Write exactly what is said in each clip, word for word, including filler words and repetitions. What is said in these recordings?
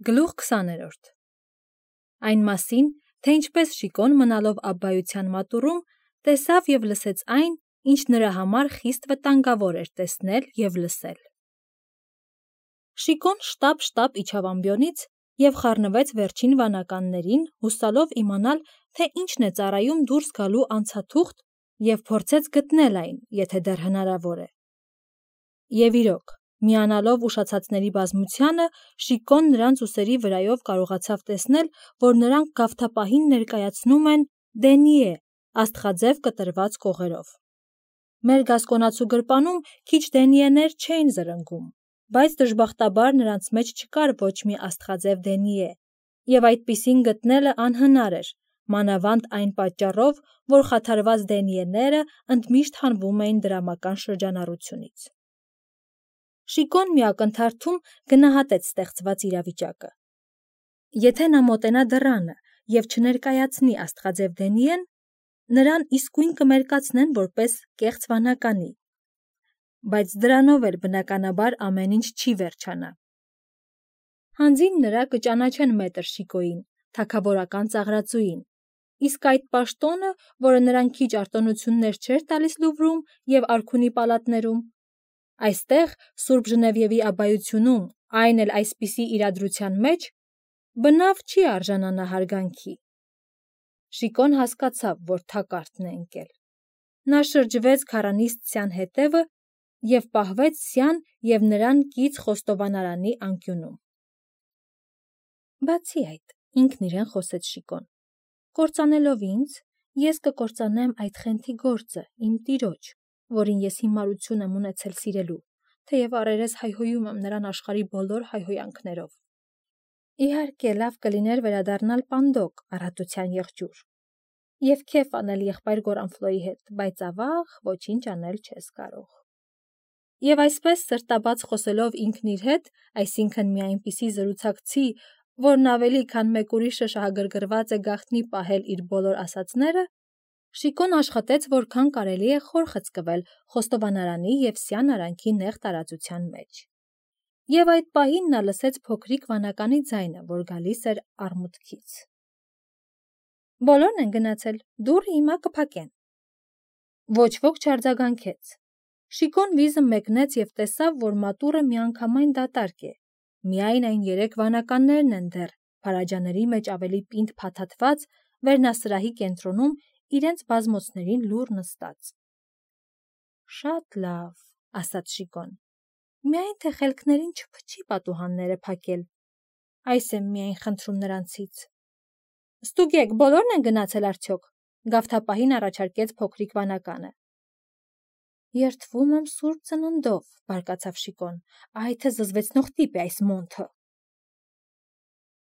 Գլուխ քսաներորդ Այն մասին, թե ինչպես Շիկոն մնալով Աբբայության մատուռում, տեսավ և լսեց այն, ինչ նրա համար խիստ վտանգավոր էր տեսնել և լսել։ Շիկոն շտապ-շտապ իջավ ամբիոնից և խառնվեց վերջին վանականներին, հուսալով իմանալ, թե ինչն է ծառայում դուրս գալու անցաթուղթ, և փորձեց գտնել այն, եթե դեռ հնարավոր է։ Եվ իրոք, միանալով ուշացածների բազմությանը, Շիկոն նրանց ուսերի վրայով կարողացավ տեսնել, որ նրանք գավթապահին ներկայացնում են Դենիե աստղաձև կտրված կողերով։ Մեր գասկոնացու գրպանում քիչ Դենիեներ չէին զրնգում, բայց դժբախտաբար նրանց մեջ չկար ոչ մի աստղաձև Դենիե, և այդպիսին գտնելը անհնար էր, մանավանդ այն պատճառով, որ խաթարված Դենիեները ընդմիշտ հանվում էին դրամական շրջանառությունից։ Շիկոն մի ակնթարթում գնահատեց ստեղծված իրավիճակը։ Եթե նա մոտենա դռանը և չներկայացնի աստղաձև Դենիեն, նրան իսկույն կմերկացնեն որպես կեղծ վանականի, բայց դրանով էլ բնականաբար ամեն ինչ չի վերջանա։ Հանձին նրա կճանաչեն մետր Շիկոյին, թագավորական ծաղրածուին, իսկ այդ պաշտոնը, որը նրան քիչ արտոնություններ չէր տալիս Լուվրում և արքունի պալատներում, այստեղ, Սուրբ Ժնևիևի Աբբայությունում, այն էլ այսպիսի իրադրության մեջ, բնավ չի արժանանա հարգանքի։ Շիկոն հասկացավ, որ թակարդն է ընկել։ Նա շրջվեց քառանիստ Սյան հետևը և պահվեց Սյան և նրան կից խոստովանարանի անկյունում։ Բացի այդ, ինքն իրեն խոսեց Շիկոն, կործանելով ինձ, ես կկործանեմ այդ խենթի գործը, իմ տիրոջ, որին ես հիմարություն եմ ունեցել սիրելու, թեև առերես հայհոյում եմ նրան աշխարհի բոլոր հայհոյանքներով։ Իհարկե, լավ կլիներ վերադառնալ Պանդոկ, առատության եղջյուր, և քեֆ անել եղբայր Գորանֆլոյի հետ, բայց ավաղ ոչինչ անել չես կարող։ Եվ այսպես սրտաբաց խոսելով ինքն իր հետ, այսինքն մի այնպիսի զրուցակցի, որն ավելի քան մեկ ուրիշը շահագրգռված է գաղտնի պահել իր բոլոր ասածները, Շիկոն աշխատեց որքան կարելի է խոր խցկվել խոստովանարանի և Սյան արանքի նեղ տարածության մեջ։ Եվ այդ պահին նա լսեց փոքրիկ վանականի ձայնը, որ գալիս էր առմուտքից։ Բոլորն են գնացել, դուռը հիմա կփակեն։ Ոչ ոք չարձագանքեց։ Շիկոն վիզը մեկնեց և տեսավ, որ մատուռը միանգամայն դատարկ է, միայն այն երեք վանականներն են դեռ, փարաջաների մեջ ավելի պինդ փաթաթված, վերնասրահի կենտրոնում իրենց բազմոցներին լուռ նստած։ Շատ լավ, ասաց Շիկոն, միայն թե խելքներին չփչի պատուհանները փակել, այս եմ միայն խնդրում նրանցից։ Ստուգեք, բոլորն են գնացել արդյոք, գավթապահին առաջարկեց փոքրիկ վանականը։ Երդվում եմ Սուրբ Ծննդով, բարկացավ Շիկոն, այ թե զզվեցնող տիպ է այս մոնթը։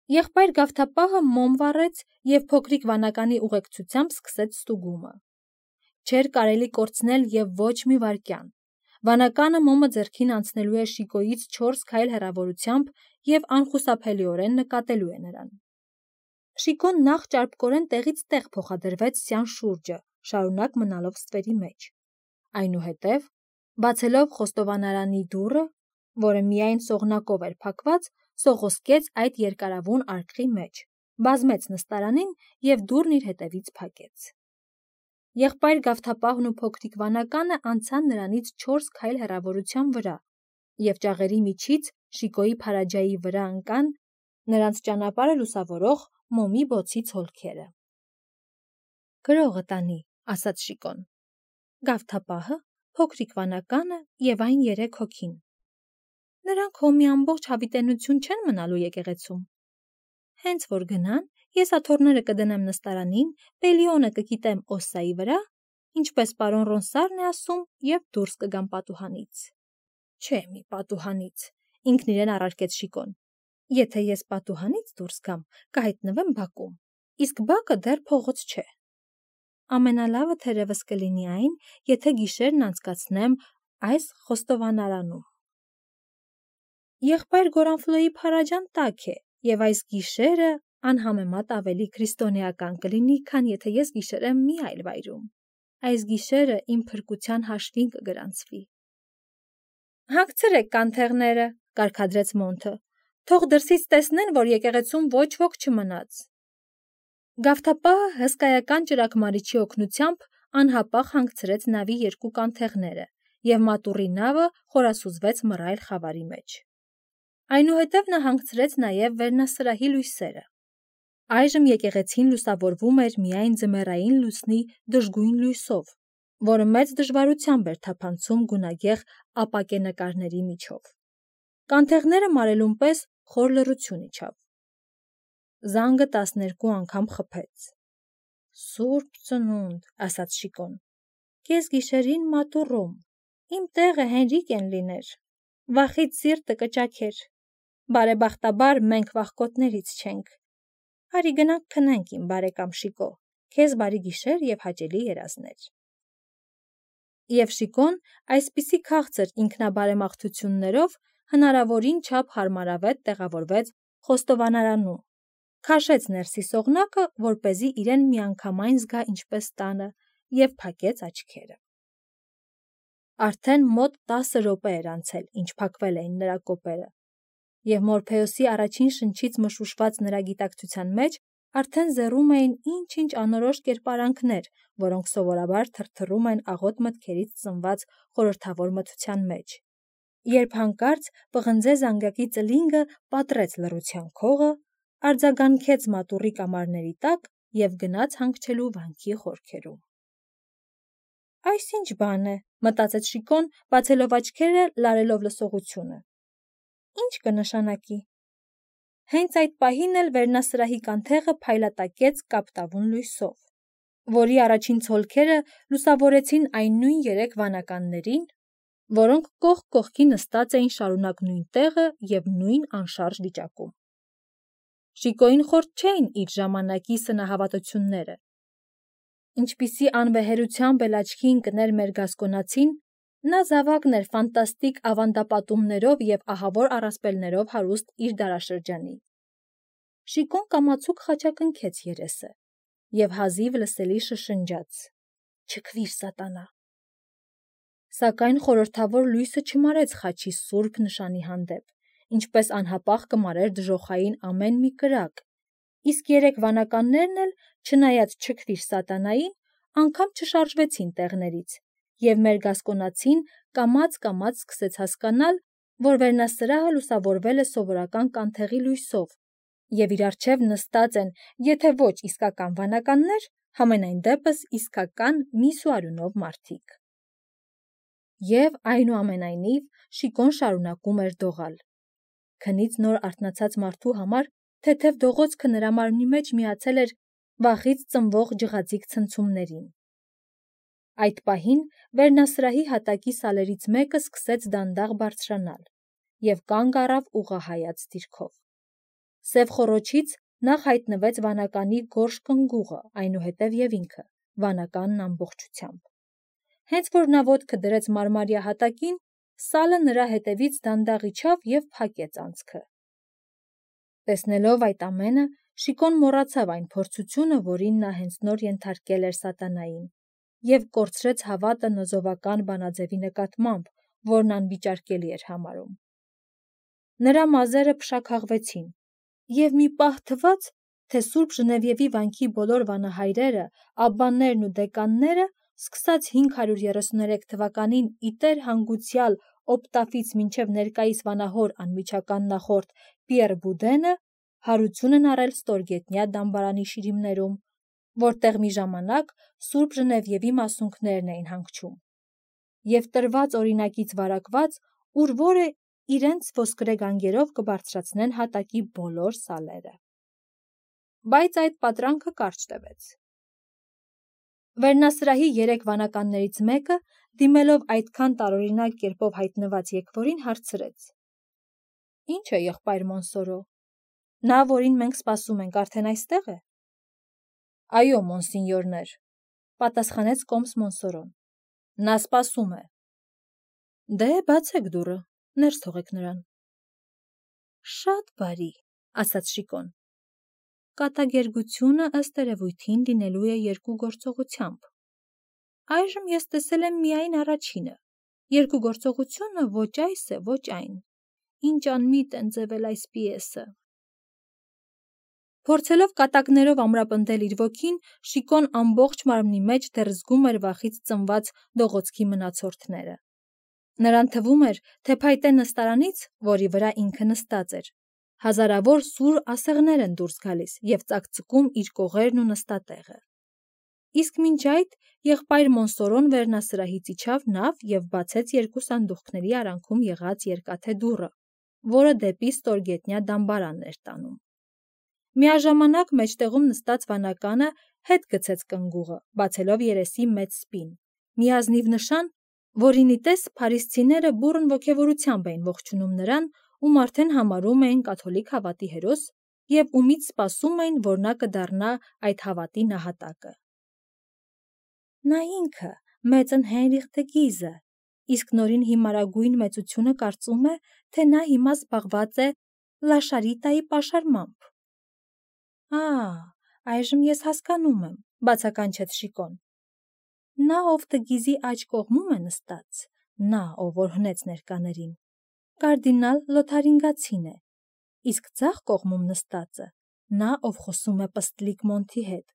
Եղբայր գավթապահը մոմ վառեց և փոքրիկ վանականի ուղեկցությամբ սկսեց ստուգումը։ Չէր կարելի կորցնել և ոչ մի վայրկյան։ Վանականը մոմը ձեռքին անցնելու է Շիկոյից չորս քայլ հեռավորությամբ և անխուսափելիորեն նկատելու է նրան։ Շիկոն նախ ճարպկորեն տեղից տեղ փոխադրվեց Սյան շուրջը, շարունակ մնալով ստվերի մեջ։ Այնուհետև, բացելով խոստովանարանի դուռը, որը միայն սողնակով էր փակված, սողոսկեց այդ երկարավուն արկղի մեջ, բազմեց նստարանին և դուռն իր հետևից փակեց։ Եղբայր գավթապահն ու փոքրիկ վանականը անցան նրանից չորս քայլ հեռավորության վրա և ճաղերի միջից Շիկոյի փարաջայի վրա ընկան նրանց ճանապարհը լուսավորող մոմի բոցից հոլքերը։ Գրողը տանի, ասաց Շիկոն, գավթապահը, փոքրիկ վանականը և այն երեք հոգին։ Նրանք հո մի ամբողջ հավիտենություն չեն մնալու եկեղեցում։ Հենց որ գնան, ես աթոռները կդնեմ նստարանին, Պելիոնը կկիտեմ Օսսայի վրա, ինչպես պարոն Ռոնսարն է ասում, և դուրս կգամ պատուհանից։ Չէ, մի պատուհանից, ինքն իրեն առարկեց Շիկոն։ Եթե ես պատուհանից դուրս գամ, կհայտնվեմ բակում, իսկ բակը դեռ փողոց չէ։ Ամենալավը թերևս կլինի այն, եթե գիշերն անցկացնեմ այս խոստովանարանում։ Եղբայր Գորանֆլոյի փարաջան տաք է, և այս գիշերը անհամեմատ ավելի քրիստոնեական կլինի, քան եթե ես գիշերեմ մի այլ վայրում։ Այս գիշերը իմ փրկության հաշվին կգրանցվի։ Հագցրեք կանթեղները, կարգադրեց Մոնթը, Թող դրսից տեսնեն, որ եկեղեցում ոչ ոք չմնաց։ Գավթապահը հսկայական ճրագմարիչի օգնությամբ անհապաղ հանգցրեց նավի երկու կանթեղները, և մատուռի նավը խորասուզվեց մռայլ խավարի մեջ։ Այնուհետև նա հանգցրեց նաև վերնասրահի լույսերը։ Այժմ եկեղեցին լուսավորվում էր միայն ձմեռային լուսնի դժգույն լույսով, որը մեծ դժվարությամբ էր թափանցում գունագեղ ապակենկարների միջով։ Կանթեղները մարելուն պես խոր լռություն իջավ։ Զանգը տասներկու անգամ խփեց։ «Սուրբ Ծնունդ», ասաց Շիկոն, «կես գիշերին մատուռում, իմ տեղը Հենրիկ են լիներ, վախից սիրտը կճաքեր, բարեբախտաբար մենք վախկոտներից չենք, արի գնանք քնենք, իմ բարեկամ Շիկո, քեզ բարի գիշեր և հաճելի երազներ»։ Եվ Շիկոն այսպիսի քաղցր ինքնաբարեմաղթություններով հնարավորին չափ հարմարավետ տեղավորվեց խոստովանարանում, քաշեց ներսի սողնակը, որպեսզի իրեն միանգամայն զգա ինչպես տանը, և փակեց աչքերը։ Արդեն մոտ տասը րոպե էր անցել, ինչ փակվել էին նրա կոպերը, և Մորփեոսի առաջին շնչից մշուշված նրա գիտակցության մեջ արդեն զեռում էին ինչ-ինչ անորոշ կերպարանքներ, որոնք սովորաբար թրթռում են աղոտ մտքերից ծնված խորհրդավոր մթության մեջ, երբ հանկարծ պղնձե զանգակի ծլինգը պատռեց լռության քողը, արձագանքեց մատուռի կամարների տակ և գնաց հանգչելու վանքի խորքերում։ «Այս ինչ բան է», մտածեց Շիկոն, բացելով աչքերը, լարելով լսողությունը։ «Ինչ կնշանակի»։ Հենց այդ պահին էլ վերնասրահի կանթեղը փայլատակեց կապտավուն լույսով, որի առաջին ցոլքերը լուսավորեցին այն նույն երեք վանականներին, որոնք կողք կողքի նստած էին շարունակ նույն տեղը և նույն անշարժ վիճակում։ Շիկոյին խորթ չէին իր ժամանակի սնահավատությունները։ Ինչպիսի անվեհերությամբ էլ աչքի ընկներ մերգասկոնացին, նա զավակն էր ֆանտաստիկ ավանդապատումներով և ահավոր առասպելներով հարուստ իր դարաշրջանի։ Շիկոն կամացուկ խաչակնքեց երեսը և հազիվ լսելի շշնջաց. «Չքվիր, սատանա»։ Սակայն խորհրդավոր լույսը չմարեց խաչի սուրբ նշանի հանդեպ, ինչպես անհապաղ կմարեր դժոխային ամեն մի կրակ, իսկ երեք վանականներն էլ, չնայած «չքվիր, սատանային», անգամ չշարժվեցին տեղներից, և մերգասկոնացին կամաց-կամաց սկսեց հասկանալ, որ վերնասրահը լուսավորվել է սովորական կանթեղի լույսով, և իր առջև նստած են եթե ոչ իսկական վանականներ, համենայն դեպս իսկական միս ու արյունով մարդիկ։ Եվ այնուամենայնիվ Շիկոն շարունակում էր դողալ։ Քնից նոր արթնացած մարդու համար թեթև դողոցքը նրա մարմնի մեջ միացել էր վախից ծնվող ջղաձիգ ցնցումներին։ Այդ պահին վերնասրահի հատակի սալերից մեկը սկսեց դանդաղ բարձրանալ և կանգ առավ ուղղահայաց դիրքով։ Սև խոռոչից նախ հայտնվեց վանականի գորշ կնգուղը, այնուհետև և ինքը, վանականն ամբողջությամբ։ Հենց որ նա ոտքը դրեց մարմարյա հատակին, սալը նրա հետևից դանդաղ իջավ և փակեց անցքը։ Տեսնելով այդ ամենը, Շիկոն մոռացավ այն փորձությունը, որին նա հենց նոր ենթարկել էր սատանային, և կորցրեց հավատը նոզովական բանաձևի նկատմամբ, որն անվիճարկելի էր համարում։ Նրա մազերը փշաքաղվեցին, և մի պահ թվաց, թե սուրբ Ժնևիևի վանքի բոլոր վանահայրերը, աբբաներն ու դեկանները, սկսած հինգ հարյուր երեսուներեք թվականին ի տեր հանգուցյալ Օպտաֆից մինչև ներկայիս վանահոր անմիջական նախորդ Պիեռ Բուդենը, հարություն են առել ստորգետնյա դամբարանի շիրիմներում, որտեղ մի ժամանակ սուրբ Ժնևիևի մասունքներն էին հանգչում, և տրված օրինակից վարակված, ուր որը իրենց ոսկրե գանգերով կբարձրացնեն հատակի բոլոր սալերը։ Բայց այդ պատրանքը կարճ տևեց։ Վերնասրահի երեք վանականներից մեկը, դիմելով այդքան տարօրինակ կերպով հայտնված եկվորին, հարցրեց. «Ինչ է, եղբայր Մոնսորո, նա, որին մենք սպասում ենք, արդեն այստեղ է»։ «Այո, մոնսինյորներ», պատասխանեց կոմս Մոնսորոն, «նա սպասում է»։ «Դե, բացեք դուռը, ներս թողեք նրան»։ «Շատ բարի», ասաց Շիկոն։ «Կատակերգությունը ըստ երևույթին լինելու է երկու գործողությամբ։ Այժմ ես տեսել եմ միայն առաջինը, երկու գործողությունը ոչ այս է, ոչ այն, ինչ անմիտ են ձևել այս պիեսը։ Փորձելով կատակներով ամրապնդել իր ոգին, Շիկոն ամբողջ մարմնի մեջ դեռ զգում էր վախից ծնված դողոցքի մնացորդները։ Նրան թվում էր, թե փայտե նստարանից, որի վրա ինքը նստած էր, հազարավոր սուր ասեղներ են դուրս գալիս և ծակծկում իր կողերն ու նստատեղը։ Իսկ մինչ այդ եղբայր Մոնսորոն վերնասրահից իջավ նավ և բացեց երկու սանդուղքների արանքում եղած երկաթե դուռը, որը դեպի ստորգետնյա դամբարանն էր տանում։ Միաժամանակ մեջտեղում նստած վանականը հետ գցեց կնգուղը, բացելով երեսի մեծ սպին, մի ազնիվ նշան, որին ի տես փարիսցիները բուռն ոգևորությամբ էին ողջունում նրան, ում արդեն համարում էին կաթոլիկ հավատի հերոս և ումից սպասում էին, որ նա կդառնա այդ հավատի նահատակը։ Նա ինքը, մեծն Հենրիխ դը Գիզը, իսկ նորին հիմարագույն մեծությունը կարծում է, թե նա հիմա զբաղված է Լաշարիտայի պաշարմամբ։ Ա, այժմ ես հասկանում եմ, բացականչեց Շիկոն։ Նա, ով Դը Գիզի աջ կողմում է նստած, նա, ով որ հնեց ներկաներին, կարդինալ Լոթարինգացին է, իսկ ձախ կողմում նստածը, նա, ով խոսում է պստլիկ Մոնթի հետ,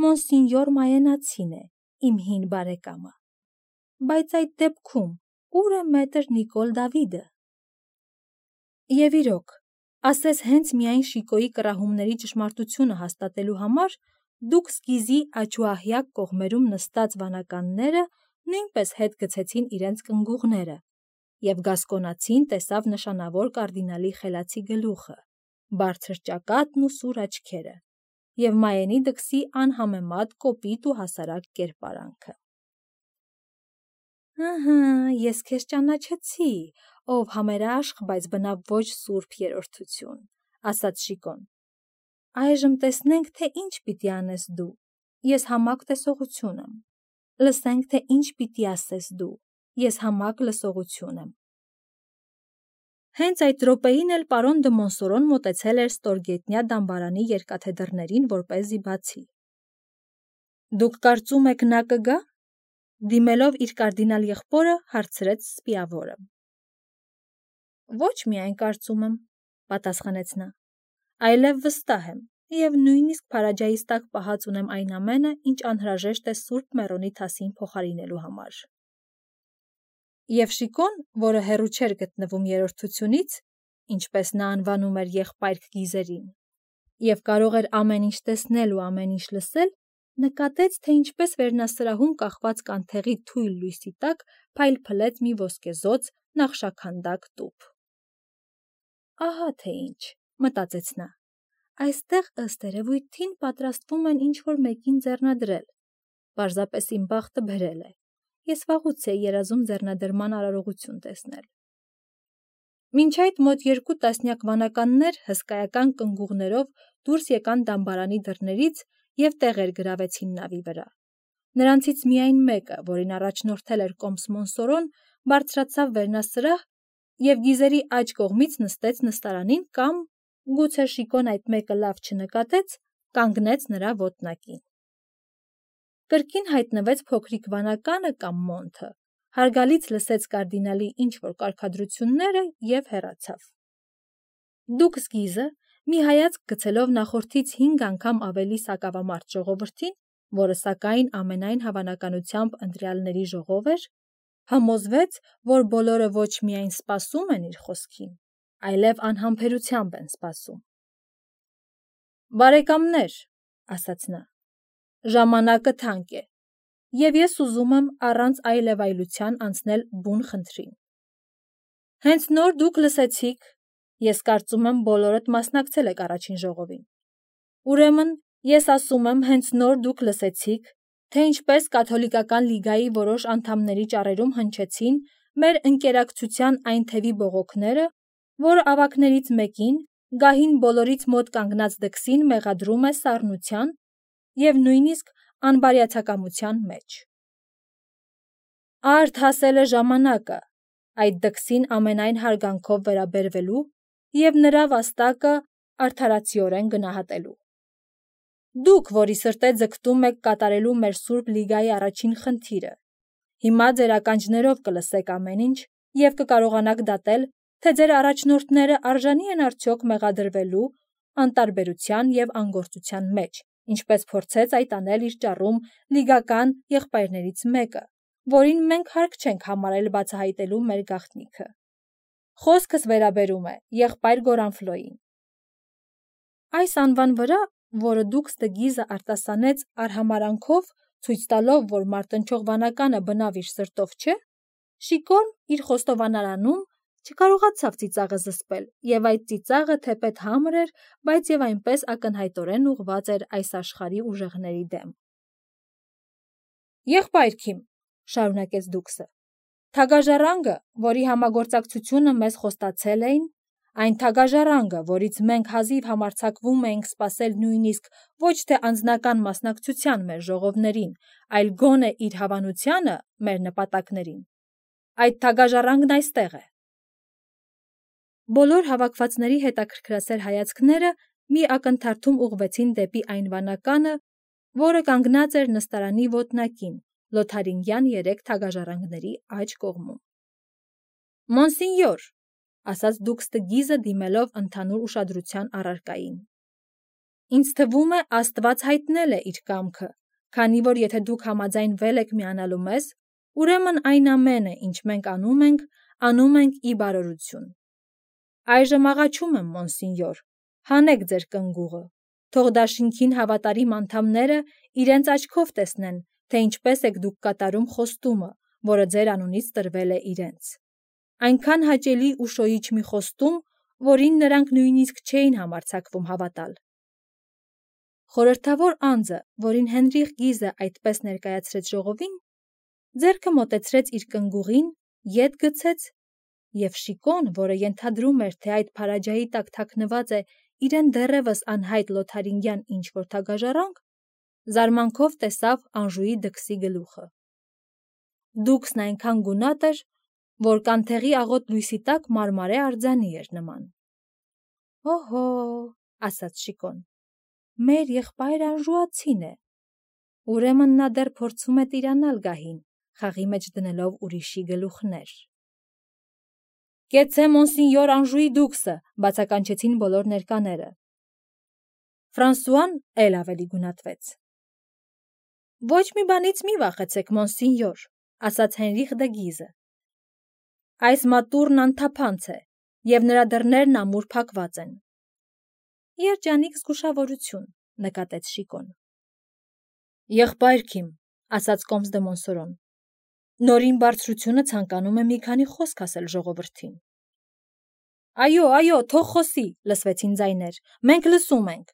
Մոնսինյոր Մայենացին է, իմ հին բարեկամը։ Բայց այդ դեպքում ուր է մետր Նիկոլ Դավիդը։ Եվ իրոք, ասես հենց միայն Շիկոյի կռահումների ճշմարտությունը հաստատելու համար, դուք Գիզի աջ-ու-ահյակ կողմերում նստած վանականները նույնպես հետ գցեցին իրենց կնգուղները, և Գասկոնացին տեսավ նշանավոր կարդինալի խելացի գլուխը, բարձր ճակատն ու սուր աչքերը, և Մայենի դքսի անհամեմատ կոպիտ ու հասարակ կերպարանքը։ Ահա, ես քեզ ճանաչեցի, ով համերաշխ, բայց բնավ ոչ սուրբ երրորդություն, ասաց Շիկոն։ Այժմ տեսնենք, թե ինչ պիտի անես դու, ես համակ տեսողություն եմ, լսենք, թե ինչ պիտի ասես դու, ես համակ լսողություն եմ։ Հենց այդ րոպեին էլ պարոն դը Մոնսորոն մոտեցել էր ստորգետնյա դամբարանի երկաթե դռներին, որպեսզի բացի։ Դուք կարծում եք նա կգա։ Դիմելով իր կարդինալ եղբորը, հարցրեց սպիավորը։ Ոչ միայն կարծում եմ, պատասխանեց նա, այլև վստահ եմ, և նույնիսկ փարաջայիս տակ պահած ունեմ այն ամենը, ինչ անհրաժեշտ է Սուրբ Մեռոնի թասին փոխարինելու համար։ Եվ Շիկոն, որը հեռու չէր գտնվում երրորդությունից, ինչպես նա անվանում էր եղբայր Գիզերին, և կարող էր ամեն ինչ տեսնել ու ամեն ինչ լսել, նկատեց, թե ինչպես վերնասրահում կախված կանթեղի թույլ լույսի տակ փայլփլեց մի ոսկեզօծ նախշաքանդակ տուփ։ Ահա թե ինչ, մտածեց նա, այստեղ ըստ երևույթին պատրաստվում են ինչ-որ մեկին ձեռնադրել, պարզապես իմ բախտը բերել է, ես վաղուց էի երազում ձեռնադրման արարողություն տեսնել։ Մինչ այդ մոտ երկու տասնյակ վանականներ հսկայական կնգուղներով դուրս եկան դամբարանի դռներից և տեղեր գրավեցին նավի վրա։ Նրանցից միայն մեկը, որին առաջնորդել էր կոմս Մոնսորոն, բարձրացավ վերնասրահ և Գիզերի աջ կողմից նստեց նստարանին կամ, գուցե Շիկոն այդ մեկը լավ չնկատեց, կանգնեց նրա ոտնակին։ Կրկին հայտնվեց փոքրիկ վանականը կամ Մոնթը, հարգալից լսեց կարդինալի ինչ-որ կարգադրությունները և հեռացավ։ Դուքս Գիզը, մի հայացք գցելով նախորդից հինգ անգամ ավելի սակավամարդ ժողովրդին, որը սակայն ամենայն հավանականությամբ ընտրյալների ժողով էր, համոզվեց, որ բոլորը ոչ միայն սպասում են իր խոսքին, այլև անհամբերությամբ են սպասում։ Բարեկամներ, ասաց նա, ժամանակը թանկ է, և ես ուզում եմ առանց այլևայլության անցնել բուն խնդրին։ Հենց նոր դուք լսեցիք, ես կարծում եմ բոլորդ մասնակցել եք առաջին ժողովին։ Ուրեմն ես ասում եմ, հենց նոր դուք լսեցիք, թե ինչպես կաթոլիկական լիգայի որոշ անդամների ճառերում հնչեցին մեր ընկերակցության այն թևի բողոքները, որ ավագներից մեկին, գահին բոլորից մոտ կանգնած դքսին մեղադրում է սառնության և նույնիսկ անբարյացակամության մեջ։ Արդ հասել է ժամանակը այդ դքսին ամենայն հարգանքով վերաբերվելու և նրա վաստակը արդարացիորեն գնահատելու։ Դուք, որի սրտե ձգտում եք կատարելու մեր Սուրբ Լիգայի առաջին խնդիրը, հիմա ձեր ականջներով կլսեք ամեն ինչ և կկարողանաք դատել, թե ձեր առաջնորդները արժանի են արդյոք մեղադրվելու անտարբերության և անգործության մեջ, ինչպես փորձեց այդ անել իր ճառում լիգական եղբայրներից մեկը, որին մենք հարկ չենք համարել բացահայտելու մեր գաղտնիքը։ Խոսքս վերաբերում է եղբայր Գորանֆլոյին։ Այս անվան վրա, որը Դուքս դը Գիզը արտասանեց արհամարանքով, ցույց տալով, որ մարտնչող վանականը բնավ իր սրտով չէ, Շիկոն իր խոստովանարանում չկարողացավ ծիծաղը զսպել, և այդ ծիծաղը թեպետ համր էր, բայց և այնպես ակնհայտորեն ուղղված էր այս աշխարհի ուժեղների դեմ։ «Եղբայրքիմ», շարունակեց Դուքսը, «թագաժառանգը, որի համագործակցությունը մեզ խոստացել էին, այն թագաժառանգը, որից մենք հազիվ համարձակվում էինք սպասել նույնիսկ ոչ թե անձնական մասնակցության մեր ժողովներին, այլ գոնե իր հավանությանը մեր նպատակներին, այդ թագաժառանգն այստեղ է»։ Բոլոր հավաքվածների հետաքրքրասեր հայացքները մի ակնթարթում ուղղվեցին դեպի այն վանականը, որը կանգնած էր նստարանի ոտնակին, Լոթարինգյան երեք թագաժառանգների աջ կողմում։ «Մոնսինյոր», ասաց Դուքս դը Գիզը դիմելով ընդհանուր ուշադրության առարկային, «ինձ թվում է Աստված հայտնել է իր կամքը, քանի որ եթե դուք համաձայնվել եք միանալու մեզ, ուրեմն այն ամենը, ինչ մենք անում ենք, անում ենք ի բարօրություն։ Այժմ աղաչում եմ, մոնսինյոր, հանեք ձեր կնգուղը, թող դաշինքին հավատարիմ անդամները իրենց աչքով տեսնեն, թե ինչպես եք դուք կատարում խոստումը, որը ձեր անունից տրվել է իրենց։ Այնքան հաճելի ու շոյիչ մի խոստում, որին նրանք նույնիսկ չէին համարձակվում հավատալ»։ Խորհրդավոր անձը, որին Հենրիխ Գիզը այդպես ներկայացրեց ժողովին, ձեռքը մոտեցրեց իր կնգուղին, ետ գցեց, և Շիկոն, որը ենթադրում էր, թե այդ փարաջայի տակ թաքնված է իրեն դեռևս անհայտ լոթարինգյան ինչ-որ թագաժառանգ, զարմանքով տեսավ Անժուի դքսի գլուխը։ Դուքսն այնքան գունատ էր, որ կանթեղի աղոտ լույսի տակ մարմարե արձանի էր նման։ «Օհո», ասաց Շիկոն, «մեր եղբայր անժուացին է, ուրեմն նա դեռ փորձում է տիրանալ գահին, խաղի մեջ դնելով ուրիշի գլուխներ»։ «Կեցցե մոնսինյոր Անժուի դուքսը», բացականչեցին բոլոր ներկաները։ Ֆրանսուան էլ ավելի գունատվեց։ «Ոչ մի բանից մի վախեցեք, մոնսինյոր», ասաց Հենրիխ դը Գիզը։ «Այս մատուռն անթափանց է, և նրա դռներն ամուր փակված են»։ «Երջանիկ զգուշավորություն», նկատեց Շիկոն։ «Եղբայրքիմ», ասաց կոմս դը Մոնսորոն, «Նորին բարձրությունը ցանկանում է մի քանի խոսք ասել ժողովրդին»։ «Այո, այո, թող խոսի», լսվեցին ձայներ, «մենք լսում ենք»,